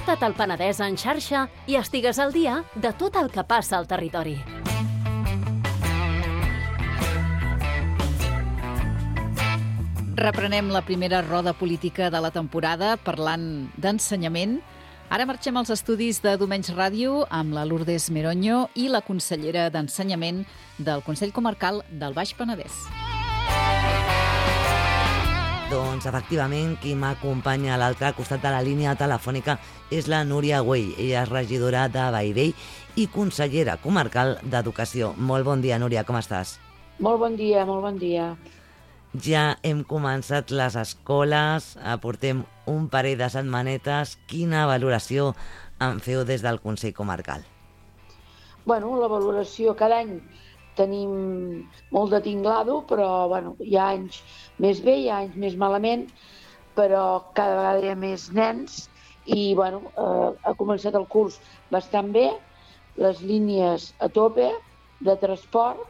Connecta't al Penedès en xarxa i estigues al dia de tot el que passa al territori. Reprenem la primera roda política de la temporada parlant d'ensenyament. Ara marxem als estudis de Domenys Ràdio amb la Lourdes Meroño i la consellera d'Ensenyament del Consell Comarcal del Baix Penedès. Doncs, efectivament, qui m'acompanya a l'altre costat de la línia telefònica és la Núria Güell. Ella és regidora de Bellvei i consellera comarcal d'Educació. Molt bon dia, Núria, com estàs? Molt bon dia, molt bon dia. Ja hem començat les escoles, portem un parell de setmanetes. Quina valoració en feu des del Consell Comarcal? Bueno, la valoració cada any tenim molt de tinglado, però hi ha anys més bé, hi ha anys més malament, però cada vegada hi ha més nens i ha començat el curs bastant bé, les línies a tope de transport,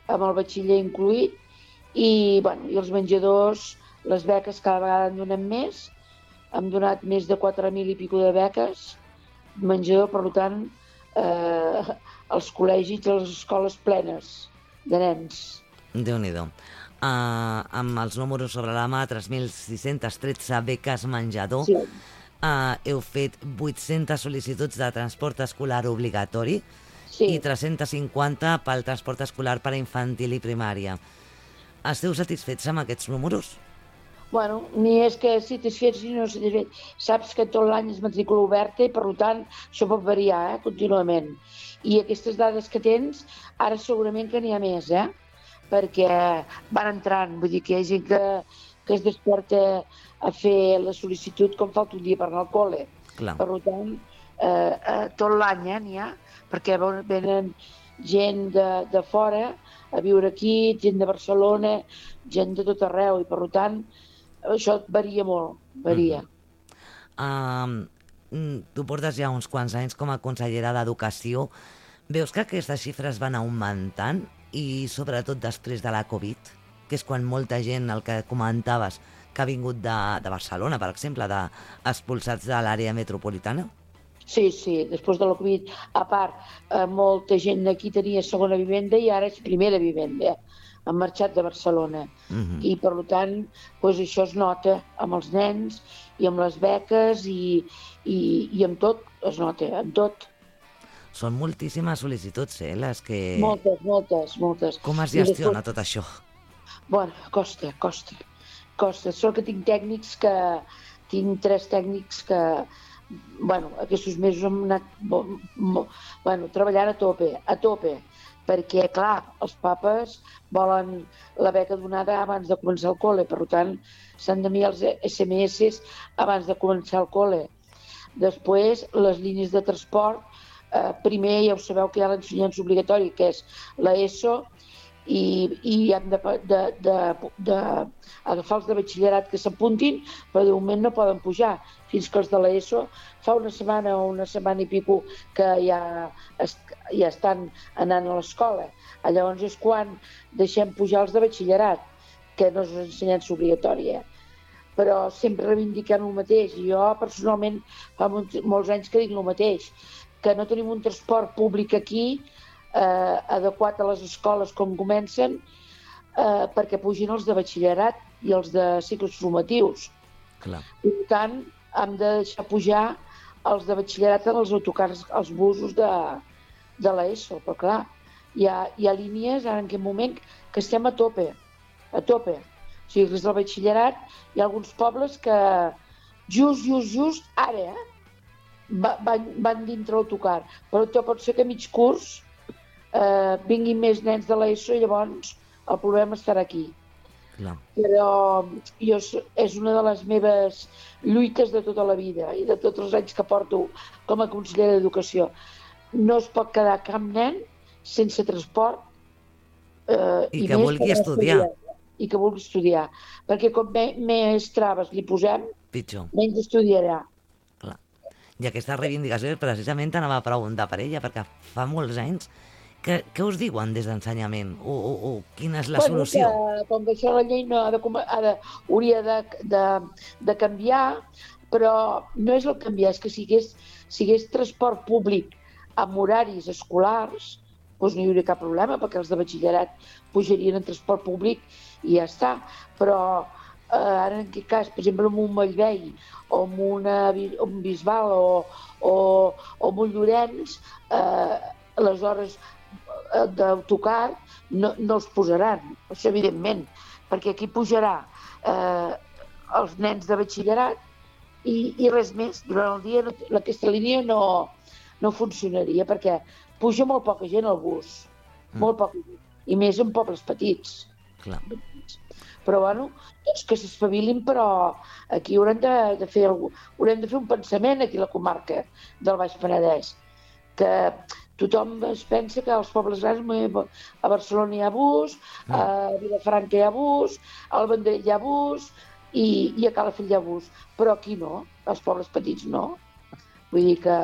amb el batxiller incluït, i els menjadors, les beques cada vegada en donem més. Hem donat més de 4.000 i pico de beques menjador, per tant, els col·legis i les escoles plenes de nens. Déu-n'hi-do. Amb els números sobre la mà, 3.613 beques menjador. Sí. Heu fet 800 sol·licituds de transport escolar obligatori i 350 pel transport escolar per a infantil i primària. Esteu satisfets amb aquests números? Ni és que satisfets ni no satisfets. Saps que tot l'any és matrícula oberta i, per tant, això pot variar contínuament. I aquestes dades que tens, ara segurament que n'hi ha més, perquè van entrant. Vull dir que hi ha gent que es desperta a fer la sol·licitud com falta un dia per anar al col·le. Clar. Per tant, tot l'any n'hi ha, perquè venen gent de fora a viure aquí, gent de Barcelona, gent de tot arreu, i per tant això varia molt, varia. Tu portes ja uns quants anys com a consellera d'Educació. Veus que aquestes xifres van augmentant i sobretot després de la Covid, que és quan molta gent, el que comentaves, que ha vingut de Barcelona, per exemple, expulsats de l'àrea metropolitana? Sí, després de la Covid, a part, molta gent d'aquí tenia segona vivenda i ara és primera vivenda. Han marxat de Barcelona. I, per tant, això es nota amb els nens i amb les beques i amb tot, es nota, amb tot. Són moltíssimes sol·licituds, les que... Moltes. Com es gestiona tot això? Costa. Sort que tinc tècnics tinc 3 tècnics que... aquests mesos hem anat treballant a tope, perquè, clar, els papes volen la beca donada abans de començar el col·le, per tant, s'han d'enviar els SMS abans de començar el col·le. Després, les línies de transport, primer ja ho sabeu que hi ha l'ensenyança obligatori, que és l'ESO, i hem d'agafar els de batxillerat que s'apuntin, però de moment no poden pujar, fins que els de l'ESO fa una setmana o una setmana i pico que ja estan anant a l'escola. Llavors és quan deixem pujar els de batxillerat, que no és ensenyança obligatòria. Però sempre reivindiquem el mateix. Jo, personalment, fa molts anys que dic el mateix, que no tenim un transport públic aquí adequat a les escoles com comencen, perquè pugin els de batxillerat i els de cicles formatius. Clar. Per tant, hem de deixar pujar els de batxillerat en els autocars, els busos de l'ESO, però clar, hi ha línies ara en aquest moment que estem a tope. O sigui, des del batxillerat hi ha alguns pobles que just ara van dintre l'autocar, però pot ser que a mig curs vinguin més nens de l'ESO i llavors el problema estarà aquí. Clar. Però és una de les meves lluites de tota la vida i de tots els anys que porto com a consellera d'Educació. No es pot quedar cap nen sense transport i que vulgui estudiar. I que vulgui estudiar. Perquè com més traves li posem, pitjor. Menys estudiarà. Clar. I aquesta reivindicació precisament t'anava a preguntar per ella, perquè fa molts anys. Què us diuen des d'ensenyament? O quina és la solució? Com que això la llei hauria de canviar, però no és el canviar, és que si hi hagués transport públic amb horaris escolars, doncs no hi hauria cap problema, perquè els de batxillerat pujarien en transport públic i ja està. Però ara en aquest cas, per exemple, en un Mollvei o en un Bisbal o en un Llorenç, les hores d'autocar no els posaran, això evidentment, perquè aquí pujarà els nens de batxillerat i res més. Durant el dia aquesta línia no funcionaria perquè puja molt poca gent al bus, molt poca gent, i més en pobles petits. Clar. Però bueno, doncs que s'espavilin, però aquí haurem de fer un pensament aquí a la comarca del Baix Penedès, que tothom es pensa que als pobles grans, a Barcelona hi ha bus, a Vilafranca hi ha bus, al Vendrell hi ha bus i a Calafell hi ha bus, però aquí no, als pobles petits no. Vull dir que...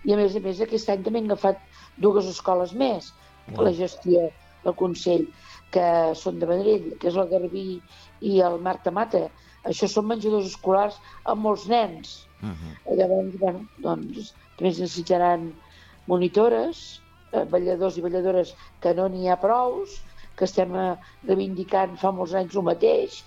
I a més, aquest any també hem agafat 2 escoles més, la gestió del Consell, que són de Vendrell, que és el Garbí i el Marta Mata. Això són menjadors escolars amb molts nens. Llavors, bueno, doncs, també es necessitaran monitores, balladors i balladores, que no n'hi ha prous, que estem reivindicant fa molts anys el mateix,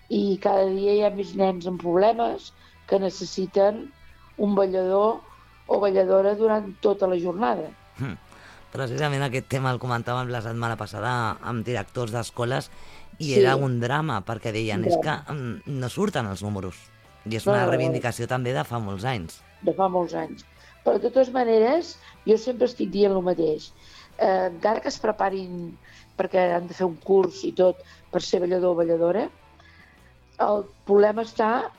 i cada dia hi ha més nens amb problemes que necessiten un ballador o balladora durant tota la jornada. Precisament aquest tema el comentàvem la setmana passada amb directors d'escoles i era un drama, perquè deien és que no surten els números. I és una reivindicació també de fa molts anys. De fa molts anys. Però de totes maneres, jo sempre estic dient el mateix. Encara que es preparin perquè han de fer un curs i tot per ser ballador o balladora, el problema està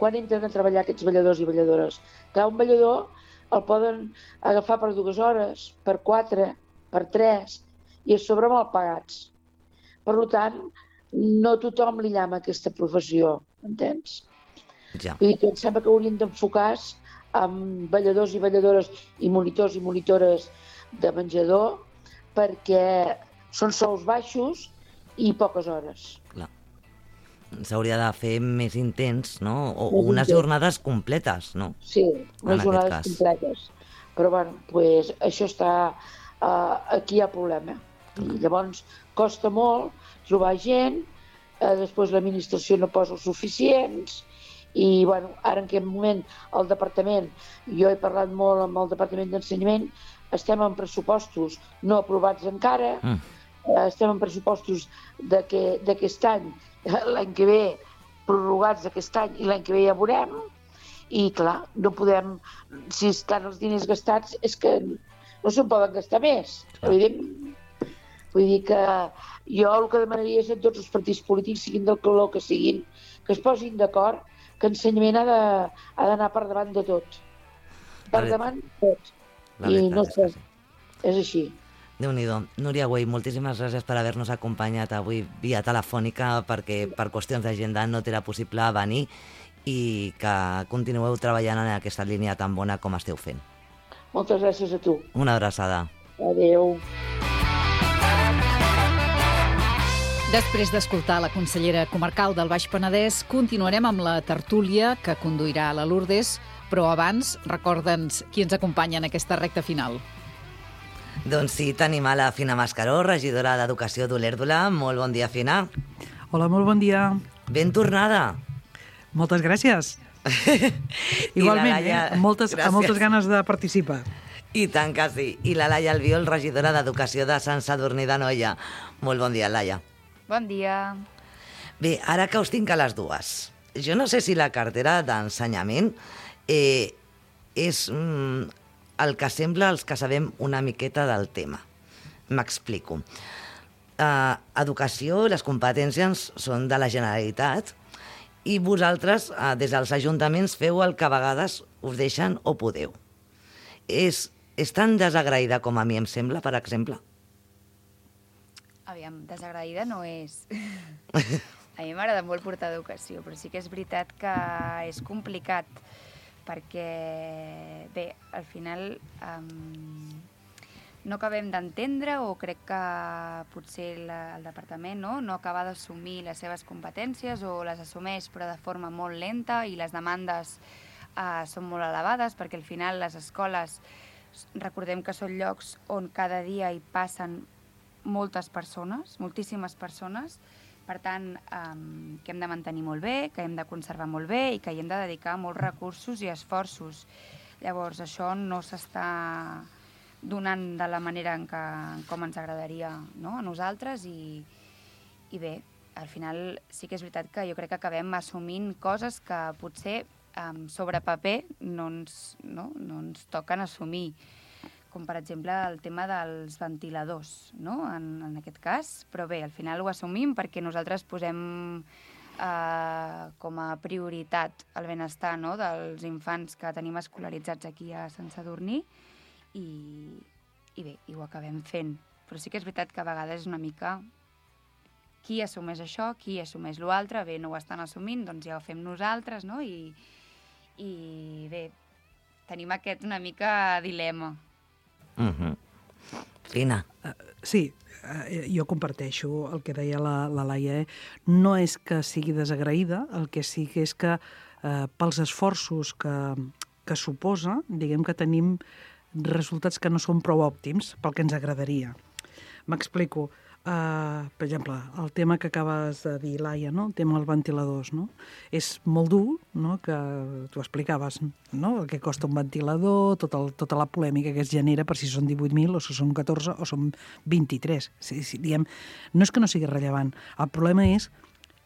quan entren a treballar aquests balladors i balladores. Que un ballador el poden agafar per 2 hores, per 4, per 3, i a sobre mal pagats. Per tant, no tothom li llama aquesta professió, entens? Ja. Vull dir que em sembla que haurien d'enfocar amb balladors i balladores i monitors i monitores de menjador, perquè són sous baixos i poques hores. Clar. S'hauria de fer més intens, no? O unes jornades completes, no? Sí, unes jornades completes. Però, bueno, pues, això està... aquí hi ha problema. I llavors costa molt trobar gent, després l'administració no posa els suficients, i, bueno, ara en aquest moment el departament, jo he parlat molt amb el Departament d'Ensenyament, estem en pressupostos no aprovats encara, estem en pressupostos d'aquest any, l'any que ve, prorrogats d'aquest any, i l'any que ve ja veurem, i clar, no podem, si estan els diners gastats, és que no se'n poden gastar més, evidentment. Vull dir que jo el que demanaria és que tots els partits polítics, siguin del color que siguin, que es posin d'acord que ensenyament ha d'anar per davant de tot. Per davant de tot. I no sé, és així. Déu-n'hi-do. Núria Güell, moltíssimes gràcies per haver-nos acompanyat avui via telefònica, perquè per qüestions d'agenda no t'era possible venir, i que continueu treballant en aquesta línia tan bona com esteu fent. Moltes gràcies a tu. Una abraçada. Adéu. Després d'escoltar la consellera comarcal del Baix Penedès, continuarem amb la tertúlia que conduirà la Lourdes, però abans recorda'ns qui ens acompanya en aquesta recta final. Doncs sí, tenim a la Fina Mascaró, regidora d'Educació d'Olèrdola. Molt bon dia, Fina. Hola, molt bon dia. Ben tornada. Moltes gràcies. Igualment, Laia, amb moltes ganes de participar. I tant que sí. I la Laia Albiol, regidora d'Educació de Sant Sadurní d'Anoia. Molt bon dia, Laia. Bon dia. Bé, ara que us tinc a les dues, jo no sé si la cartera d'ensenyament és el que sembla els que sabem una miqueta del tema. M'explico. Educació, les competències són de la Generalitat i vosaltres, des dels ajuntaments, feu el que a vegades us deixen o podeu. És tan desagraïda com a mi em sembla, per exemple? Aviam, desagraïda no és. A mi m'agrada molt portar educació, però sí que és veritat que és complicat, perquè, bé, al final no acabem d'entendre, o crec que potser el departament no acaba d'assumir les seves competències, o les assumeix però de forma molt lenta, i les demandes són molt elevades, perquè al final les escoles, recordem que són llocs on cada dia hi passen moltes persones, moltíssimes persones, per tant, que hem de mantenir molt bé, que hem de conservar molt bé i que hi hem de dedicar molts recursos i esforços. Llavors, això no s'està donant de la manera com ens agradaria, no?, a nosaltres, i bé, al final sí que és veritat que jo crec que acabem assumint coses que potser sobre paper no ens toquen assumir, com per exemple el tema dels ventiladors, no?, en aquest cas, però bé, al final ho assumim perquè nosaltres posem com a prioritat el benestar, no?, dels infants que tenim escolaritzats aquí a Sant Sadurní, i bé, i ho acabem fent. Però sí que és veritat que a vegades és una mica qui assumeix això, qui assumeix l'altre, bé, no ho estan assumint, doncs ja ho fem nosaltres, no?, i bé, tenim aquest una mica dilema. Fina. Sí, jo comparteixo el que deia la Laia. No és que sigui desagraïda, el que sí que és que pels esforços que suposa, diguem que tenim resultats que no són prou òptims pel que ens agradaria. M'explico. Per exemple, el tema que acabes de dir, Laia, no?, el tema dels ventiladors, no? És molt dur, no?, que tu explicaves, no?, el que costa un ventilador, tota la polèmica que es genera per si són 18.000 o si són 14 o són 23. Diguem, no és que no sigui rellevant. El problema és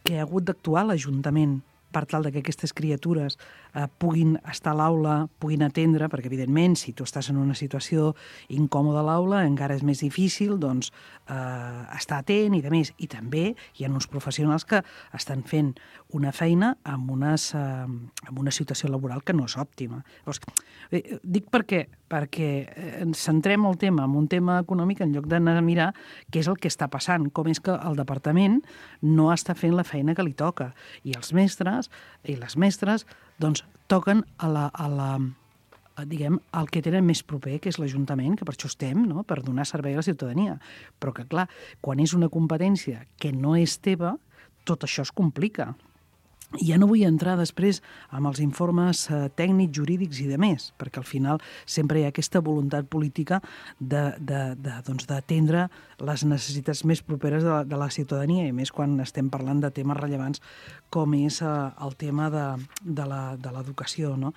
que ha hagut d'actuar l'Ajuntament per tal que aquestes criatures puguin estar a l'aula, puguin atendre, perquè, evidentment, si tu estàs en una situació incòmoda a l'aula, encara és més difícil, doncs, estar atent i de més. I també hi ha uns professionals que estan fent una feina amb una situació laboral que no és òptima. Llavors, dic perquè ens centrem el tema en un tema econòmic en lloc d'anar a mirar què és el que està passant, com és que el departament no està fent la feina que li toca. I els mestres i les mestres doncs toquen diguem, el que tenen més proper, que és l'Ajuntament, que per això estem, no?, per donar servei a la ciutadania. Però que, clar, quan és una competència que no és teva, tot això es complica. I ja no vull entrar després amb els informes tècnics, jurídics i de més, perquè al final sempre hi ha aquesta voluntat política d'atendre les necessitats més properes de la ciutadania, i més quan estem parlant de temes rellevants com és el tema de l'educació, no?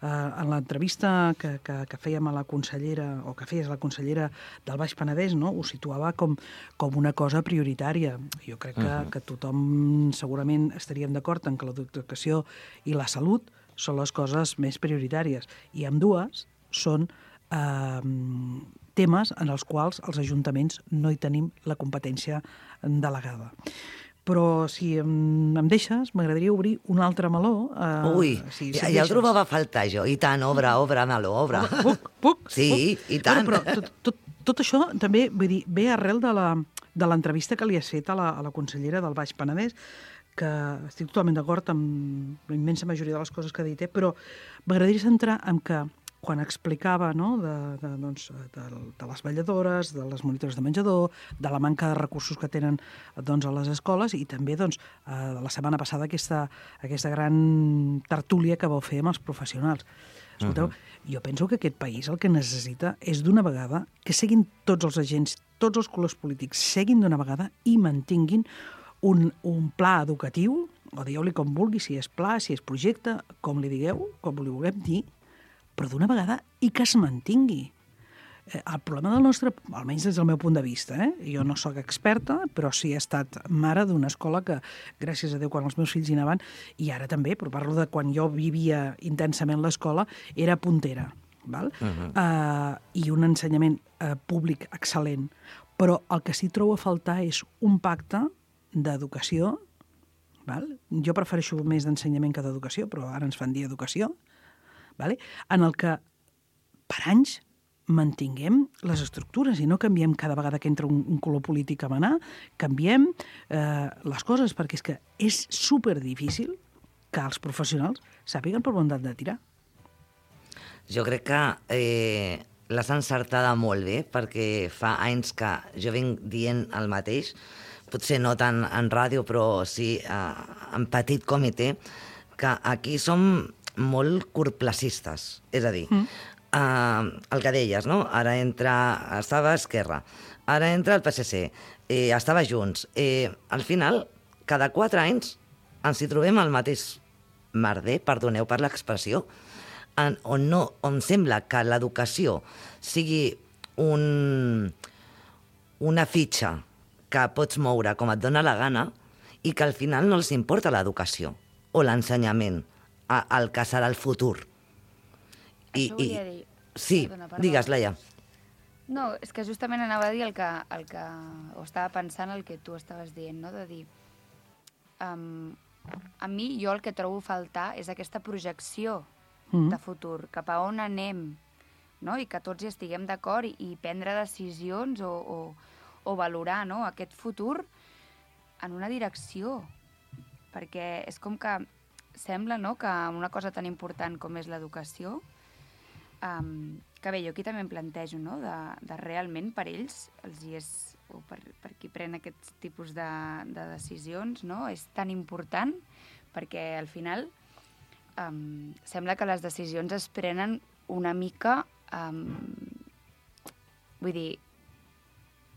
En l'entrevista que fèiem a la consellera, o que feies a la consellera del Baix Penedès, no?, ho situava com una cosa prioritària. Jo crec que tothom segurament estaríem d'acord en que l'educació i la salut són les coses més prioritàries, i ambdues són temes en els quals els ajuntaments no hi tenim la competència delegada. Però si em deixes, m'agradaria obrir un altre meló. Ui, ja el trobava a faltar jo. I tant, obre meló, obre. Puc? Sí, i tant. Però tot això també, vull dir, ve arrel de l'entrevista que li has fet a la consellera del Baix Penedès, que estic totalment d'acord amb la immensa majoria de les coses que ha dit, però m'agradaria centrar en que quan explicava, no?, de les vetlladores, de les monitores de menjador, de la manca de recursos que tenen a les escoles, i també la setmana passada aquesta gran tertúlia que vau fer amb els professionals. Escolteu, jo penso que aquest país el que necessita és d'una vegada que seguin tots els agents, tots els colors polítics, seguin d'una vegada i mantinguin un pla educatiu, o digueu-li com vulgui, si és pla, si és projecte, com li digueu, com li vulguem dir, però d'una vegada i que es mantingui. El problema del nostre, almenys des del meu punt de vista, jo no sóc experta, però sí he estat mare d'una escola que, gràcies a Déu, quan els meus fills hi anaven, i ara també, però parlo de quan jo vivia intensament l'escola, era puntera, val? I un ensenyament públic excel·lent. Però el que sí trobo a faltar és un pacte d'educació, val? Jo prefereixo més d'ensenyament que d'educació, però ara ens fan dir educació, vale? En el que per anys mantinguem les estructures i no canviem cada vegada que entra un color polític a manar, canviem les coses, perquè és que és superdifícil que els professionals sàpiguen per on han de tirar. Jo crec que l'has encertada molt bé, perquè fa anys que jo vinc dient el mateix, potser no tant en ràdio, però sí en petit comitè, que aquí som molt curtplacistes. És a dir, el que deies, no? Ara estava a Esquerra, ara entra el PSC, estava Junts. Al final, cada 4 anys ens hi trobem al mateix merder, perdoneu per l'expressió, on sembla que l'educació sigui una fitxa que pots moure com et dóna la gana i que al final no els importa l'educació o l'ensenyament, el que serà el futur. Això volia dir. Sí, digues, Laia. No, és que justament anava a dir el que o estava pensant el que tu estaves dient, no? De dir, a mi, jo el que trobo a faltar és aquesta projecció de futur, cap a on anem, no? I que tots hi estiguem d'acord i prendre decisions o valorar, no? Aquest futur en una direcció, perquè és com que sembla, no?, que una cosa tan important com és l'educació, que bé, jo aquí també em plantejo, no?, de realment per ells, o per qui pren aquests tipus de decisions, no?, és tan important, perquè al final sembla que les decisions es prenen una mica, vull dir,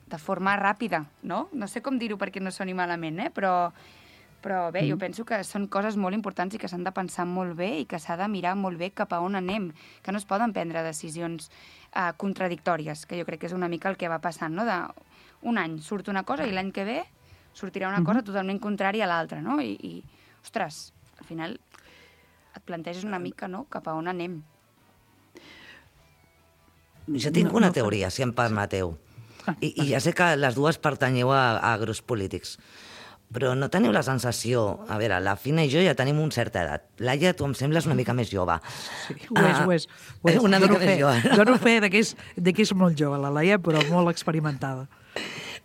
de forma ràpida, no? No sé com dir-ho perquè no soni malament, però bé, jo penso que són coses molt importants i que s'han de pensar molt bé i que s'ha de mirar molt bé cap a on anem, que no es poden prendre decisions contradictòries, que jo crec que és una mica el que va passant, no? Un any surt una cosa i l'any que ve sortirà una cosa totalment contrària a l'altra, no? I, ostres, al final et planteges una mica, no?, cap a on anem. Jo tinc una teoria, si em permeteu. I ja sé que les dues pertanyeu a grups polítics, però no teniu la sensació... A veure, la Fina i jo ja tenim una certa edat. Laia, tu em sembles una mica més jove. Sí, ho és. Una mica més jove. Dono fe de que és molt jove, la Laia, però molt experimentada.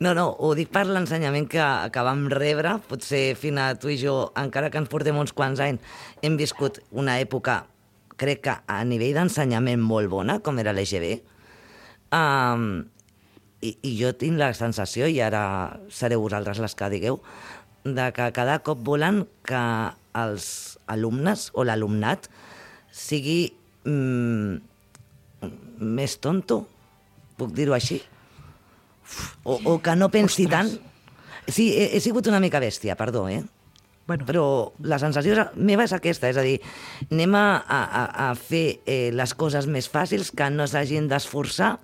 No, ho dic per l'ensenyament que vam rebre. Potser, Fina, tu i jo, encara que ens portem uns quants anys, hem viscut una època, crec que a nivell d'ensenyament molt bona, com era l'EGB. I jo tinc la sensació, i ara sereu vosaltres les que digueu, de que cada cop volen que els alumnes o l'alumnat sigui més tonto, puc dir-ho així? O que no pensi tant. Sí, he sigut una mica bèstia, perdó, Bueno. Però la sensació meva és aquesta, és a dir, anem a fer les coses més fàcils, que no s'hagin d'esforçar.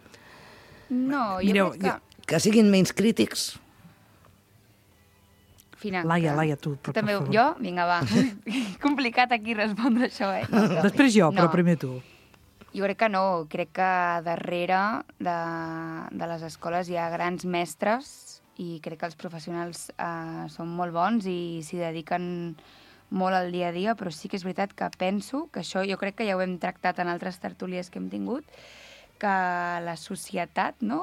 No, jo crec que... Que siguin menys crítics. Fina, Laia, tu, per també, favor. jo? Vinga, va. Complicat aquí respondre això, No, Després jo, però primer tu. Jo crec que no. Crec que darrere de les escoles hi ha grans mestres i crec que els professionals són molt bons i s'hi dediquen molt al dia a dia, però sí que és veritat que penso que això, jo crec que ja ho hem tractat en altres tertúlies que hem tingut, que la societat, no?,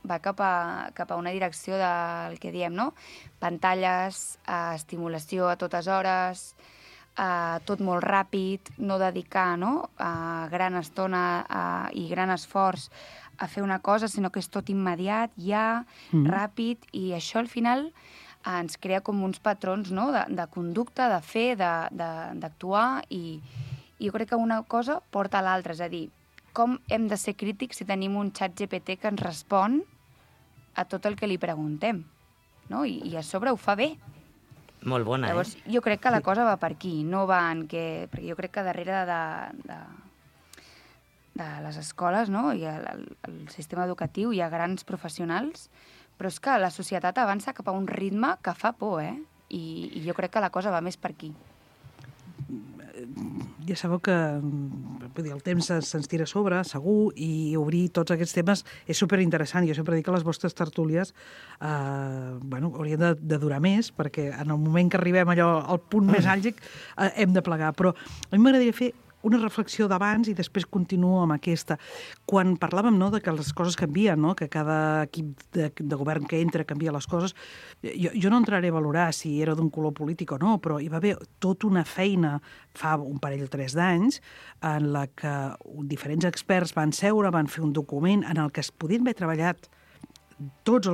va cap a una direcció del que diem, no? Pantalles, estimulació a totes hores, tot molt ràpid, no dedicar, no?, gran estona i gran esforç a fer una cosa, sinó que és tot immediat, ja, ràpid, i això al final ens crea com uns patrons, no?, de conducta, de fer, d'actuar, i jo crec que una cosa porta a l'altra, és a dir, com hem de ser crítics si tenim un xat GPT que ens respon a tot el que li preguntem, no? I a sobre ho fa bé. Molt bona, Llavors, jo crec que la cosa va per aquí, no va en què... Perquè jo crec que darrere de les escoles, no?, i el sistema educatiu hi ha grans professionals, però és que la societat avança cap a un ritme que fa por, I jo crec que la cosa va més per aquí. Ja sabeu que el temps se'ns tira a sobre, segur, i obrir tots aquests temes és superinteressant. Jo sempre dic que les vostres tertúlies haurien de durar més, perquè en el moment que arribem allò al punt més àlgic hem de plegar. Però a mi m'agradaria fer una reflexió d'abans i després continuo amb aquesta. Quan parlàvem, no, de que les coses canvien, no, que cada equip de govern que entra canvia les coses, jo no entraré a valorar si era d'un color polític o no, però hi va haver tota una feina fa un parell o 3 d'anys en la que diferents experts van seure, van fer un document en el que es podien haver treballat tots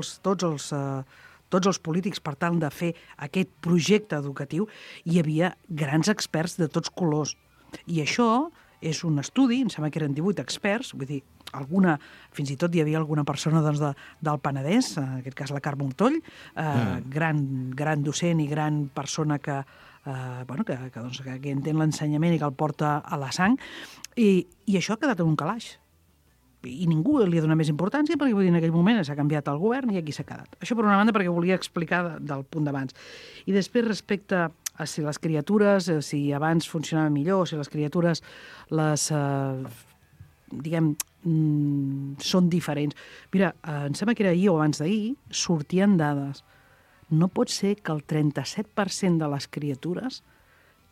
els polítics per tal de fer aquest projecte educatiu. Hi havia grans experts de tots colors. I això és un estudi, em sembla que eren 18 experts, vull dir, fins i tot hi havia alguna persona doncs, del Penedès, en aquest cas la Carme Montoll, gran docent i gran persona que entén l'ensenyament i que el porta a la sang, i això ha quedat en un calaix. I ningú li ha donat més importància perquè vull dir, en aquell moment s'ha canviat el govern i aquí s'ha quedat. Això per una banda perquè volia explicar del punt d'abans. I després respecte a si les criatures, si abans funcionava millor, si les criatures són diferents. Mira, em sembla que era ahir o abans d'ahir, sortien dades. No pot ser que el 37% de les criatures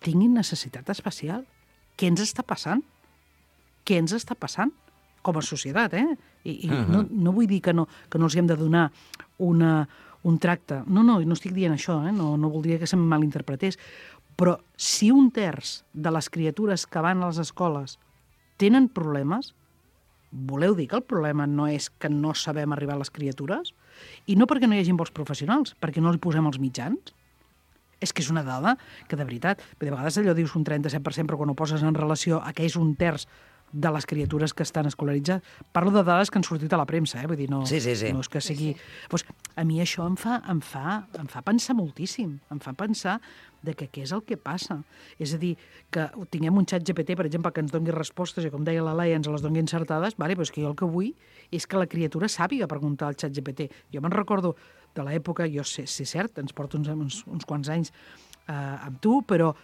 tinguin necessitat especial. Què ens està passant? Què ens està passant? Com a societat, I no vull dir que no els hem de donar un tracte. No estic dient això, no voldria que se'm malinterpretés. Però si 1/3 de les criatures que van a les escoles tenen problemes, voleu dir que el problema no és que no sabem arribar a les criatures? I no perquè no hi hagi bons professionals, perquè no li posem els mitjans? És que és una dada que, de veritat, de vegades allò dius un 37%, però quan ho poses en relació a que és 1/3 de les criatures que estan escolaritzades. Parlo de dades que han sortit a la premsa, vull dir, no és que sigui... Pues, a mi això em fa pensar moltíssim, em fa pensar de que què és el que passa. És a dir, que tinguem un xat GPT, per exemple, que ens doni respostes, i com deia la Laia, ens les doni encertades, però és que jo el que vull és que la criatura sàpiga preguntar al xat GPT. Jo me'n recordo de l'època, jo sé, si és cert, ens porto uns quants anys amb tu, però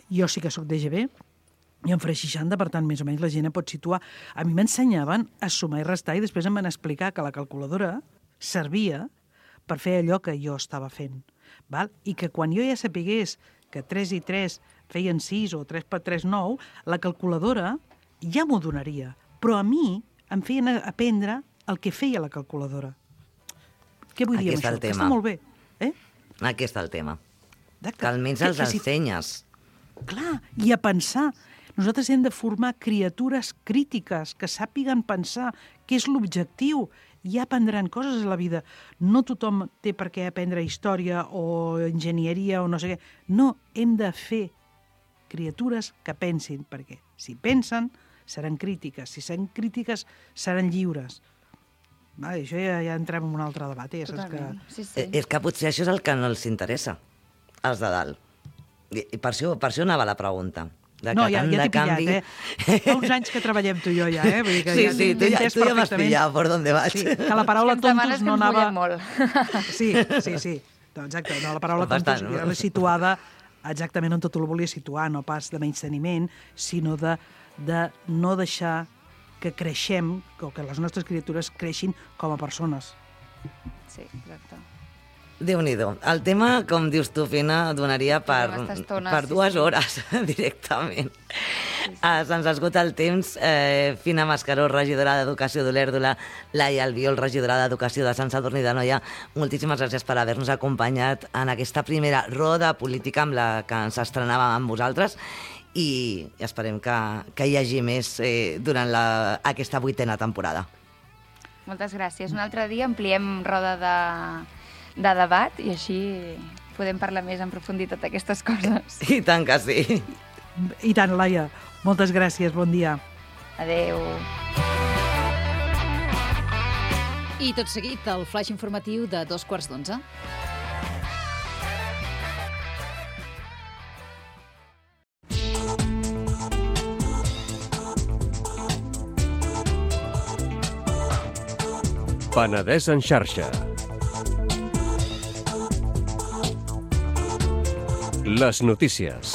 jo sí que sóc d'EGB, i en faré 60, per tant, més o menys la gent pot situar. A mi m'ensenyaven a sumar i restar i després em van explicar que la calculadora servia per fer allò que jo estava fent. Val? I que quan jo ja sapigués que 3 i 3 feien 6 o 3 per 3, 9, la calculadora ja m'ho donaria. Però a mi em feien aprendre el que feia la calculadora. Què vull dir amb això? Que està molt bé. Aquí està el tema. Que almenys els ensenyes. Clar, i a pensar. Nosaltres hem de formar criatures crítiques que sàpiguen pensar què és l'objectiu. Ja aprendran coses a la vida. No tothom té per què aprendre història o enginyeria o no sé què. No, hem de fer criatures que pensin, perquè si pensen seran crítiques. Si seran crítiques seran lliures. Això ja entrem en un altre debat. Totalment. Sí. És que potser això és el que no els interessa, els de dalt. I per això anava la pregunta. No, ja t'he pillat, Fa uns anys que treballem tu i jo ja, Vull dir que sí, tu ja m'has pillat per on vas. Sí, que la paraula tontos no anava... molt. Sí. Exacte, la paraula tontos era situada exactament on tot ho volia situar, no pas de menysteniment, sinó de no deixar que creixem, o que les nostres criatures creixin com a persones. Sí, exacte. Déu-n'hi-do. El tema, com dius tu, Fina, donaria per 2 hores directament. Se'ns esgota el temps. Fina Mascaró, regidora d'Educació d'Olèrdola, Laia Albiol, regidora d'Educació de Sant Sadurní d'Anoia, moltíssimes gràcies per haver-nos acompanyat en aquesta primera roda política amb la que ens estrenàvem amb vosaltres i esperem que hi hagi més durant aquesta 8a temporada. Moltes gràcies. Un altre dia ampliem roda de debat i així podem parlar més en profunditat d'aquestes coses. I tant que sí. I tant, Laia. Moltes gràcies. Bon dia. Adéu. I tot seguit, el flaix informatiu de 11:15. Penedès en xarxa. Les notícies.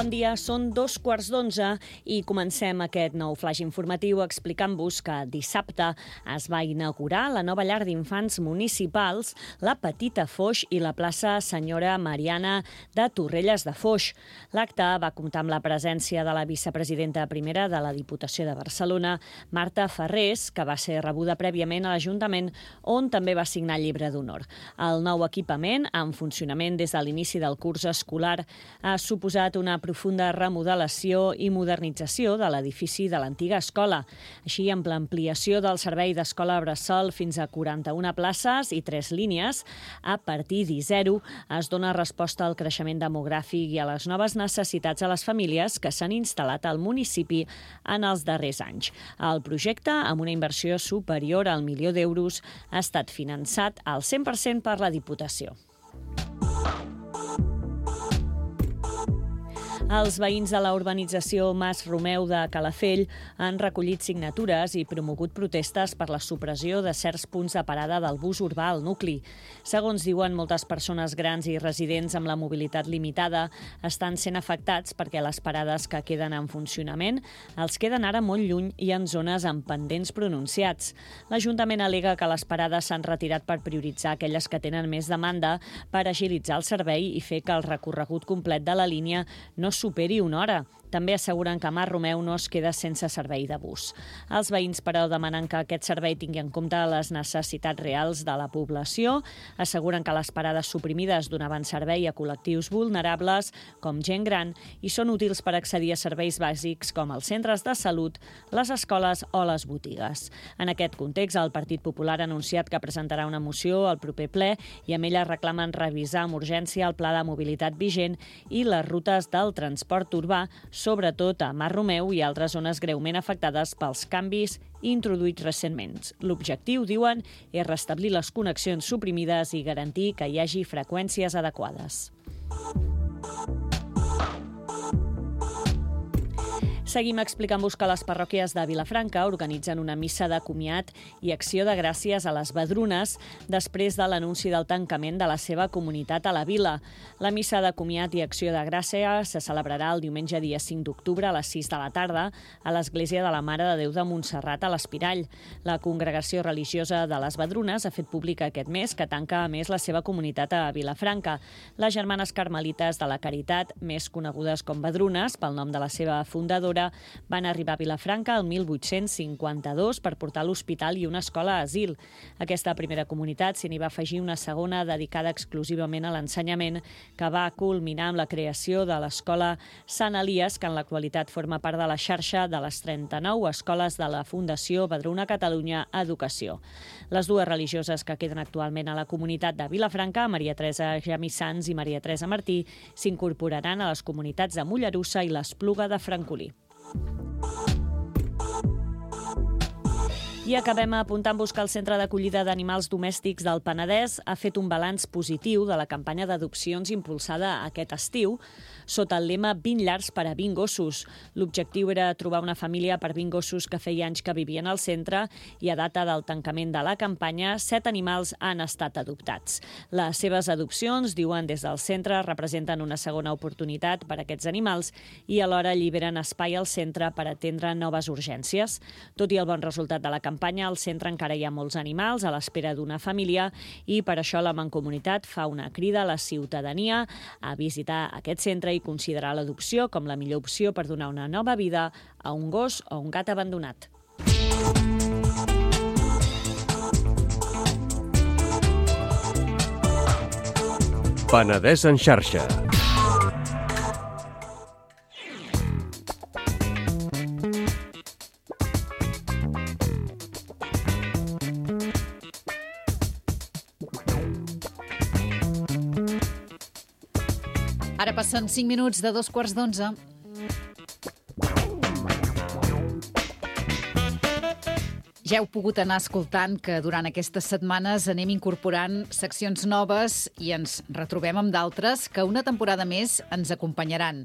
Bon dia, són 2:15 i comencem aquest nou flash informatiu explicant-vos que dissabte es va inaugurar la nova llar d'infants municipals, la Petita Foix i la plaça Senyora Mariana de Torrelles de Foix. L'acte va comptar amb la presència de la vicepresidenta primera de la Diputació de Barcelona, Marta Ferrés, que va ser rebuda prèviament a l'Ajuntament, on també va signar el llibre d'honor. El nou equipament, en funcionament des de l'inici del curs escolar, ha suposat una profunda remodelació i modernització de l'edifici de l'antiga escola. Així, amb l'ampliació del servei d'escola bressol fins a 41 places i 3 línies, a partir d'I0 es dona resposta al creixement demogràfic i a les noves necessitats de les famílies que s'han instal·lat al municipi en els darrers anys. El projecte, amb una inversió superior al €1.000.000, ha estat finançat al 100% per la Diputació. Els veïns de la urbanització Mas Romeu de Calafell han recollit signatures i promogut protestes per la supressió de certs punts de parada del bus urbà al nucli. Segons diuen, moltes persones grans i residents amb la mobilitat limitada estan sent afectats perquè les parades que queden en funcionament els queden ara molt lluny i en zones amb pendents pronunciats. L'Ajuntament al·lega que les parades s'han retirat per prioritzar aquelles que tenen més demanda per agilitzar el servei i fer que el recorregut complet de la línia no superi una hora. També asseguren que Mas Romeu no es queda sense servei de bus. Els veïns, però, demanen que aquest servei tingui en compte les necessitats reals de la població. Asseguren que les parades suprimides donaven servei a col·lectius vulnerables, com gent gran, i són útils per accedir a serveis bàsics com els centres de salut, les escoles o les botigues. En aquest context, el Partit Popular ha anunciat que presentarà una moció al proper ple i amb ella reclamen revisar amb urgència el pla de mobilitat vigent i les rutes del transport urbà, sobretot a Mas Romeu i altres zones greument afectades pels canvis introduïts recentment. L'objectiu, diuen, és restablir les connexions suprimides i garantir que hi hagi freqüències adequades. Seguim explicant-vos que les parròquies de Vilafranca organitzen una missa de comiat i acció de gràcies a les Vedrunes després de l'anunci del tancament de la seva comunitat a la vila. La missa de comiat i acció de gràcies se celebrarà el diumenge dia 5 d'octubre a les 6 de la tarda a l'Església de la Mare de Déu de Montserrat a l'Espirall. La congregació religiosa de les Vedrunes ha fet públic aquest mes que tanca a més la seva comunitat a Vilafranca. Les Germanes Carmelites de la Caritat, més conegudes com Vedrunes pel nom de la seva fundadora, van arribar a Vilafranca el 1852 per portar l'hospital i una escola a asil. Aquesta primera comunitat s'hi va afegir una segona dedicada exclusivament a l'ensenyament, que va culminar amb la creació de l'escola Sant Elies, que en l'actualitat forma part de la xarxa de les 39 escoles de la Fundació Vedruna Catalunya Educació. Les dues religioses que queden actualment a la comunitat de Vilafranca, Maria Teresa Gemissans i Maria Teresa Martí, s'incorporaran a les comunitats de Mollerussa i l'Espluga de Francolí. I acabem apuntant-vos que el Centre d'Acollida d'Animals Domèstics del Penedès ha fet un balanç positiu de la campanya d'adopcions impulsada aquest estiu sota el lema 20 llars per a 20 gossos. L'objectiu era trobar una família per 20 gossos que feia anys que vivien al centre i a data del tancament de la campanya, 7 animals han estat adoptats. Les seves adopcions, diuen des del centre, representen una segona oportunitat per a aquests animals i alhora alliberen espai al centre per atendre noves urgències. Tot i el bon resultat de la campanya, al centre encara hi ha molts animals a l'espera d'una família i per això la Mancomunitat fa una crida a la ciutadania a visitar aquest centre i considerar l'adopció com la millor opció per donar una nova vida a un gos o un gat abandonat. Penedès en xarxa. Ara passen 5 minuts de 2:15. Ja heu pogut anar escoltant que durant aquestes setmanes anem incorporant seccions noves i ens retrobem amb d'altres que una temporada més ens acompanyaran.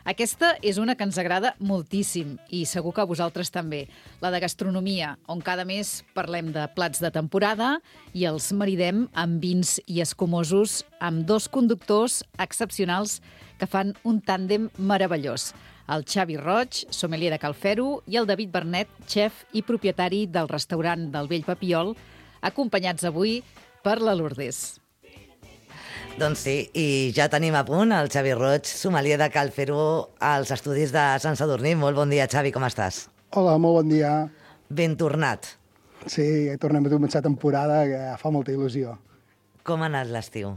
Aquesta és una que ens agrada moltíssim i segur que a vosaltres també, la de gastronomia, on cada mes parlem de plats de temporada i els maridem amb vins i escumosos amb dos conductors excepcionals que fan un tàndem meravellós. El Xavi Roig, sommelier de Cal Fero, i el David Bernet, xef i propietari del restaurant del Vell Papiol, acompanyats avui per la Lourdes. Doncs sí, i ja tenim a punt el Xavi Roig, sommelier de Cal Fero, als estudis de Sant Sadurní. Molt bon dia, Xavi, com estàs? Hola, molt bon dia. Ben tornat. Sí, tornem a començar temporada, que fa molta il·lusió. Com ha anat l'estiu?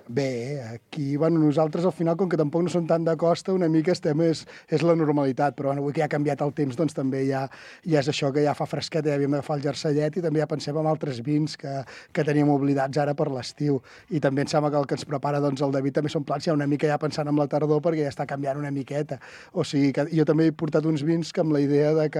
Bé, aquí, nosaltres al final, com que tampoc no som tant de costa, una mica és la normalitat, però avui que ja ha canviat el temps, doncs també ja és això, que ja fa fresquet, ja havíem d'agafar el jersellet i també ja pensem en altres vins que teníem oblidats ara per l'estiu. I també em sembla que el que ens prepara el David també són plats ja una mica ja pensant en la tardor, perquè ja està canviant una miqueta. O sigui, que jo també he portat uns vins que amb la idea de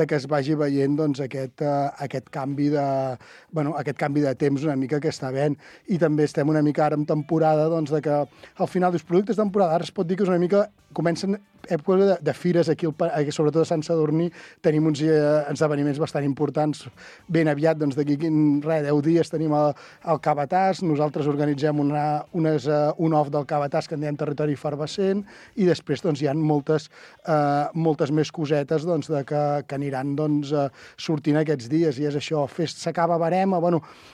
que es vagi veient aquest canvi de temps una mica que està havent. I també estem una mica ara en temporada, de que al final dels productes de temporada, ara es pot dir que és una mica, comencen èpoques de fires aquí, sobretot a Sant Sadurní, tenim uns esdeveniments bastant importants. Ben aviat, d'aquí 10 dies tenim el Cabatàs, nosaltres organitzem un off del Cabatàs que en diem Territori Efervescent, i després hi ha moltes més cosetes que aniran sortint aquests dies, i és això, s'acaba Verema,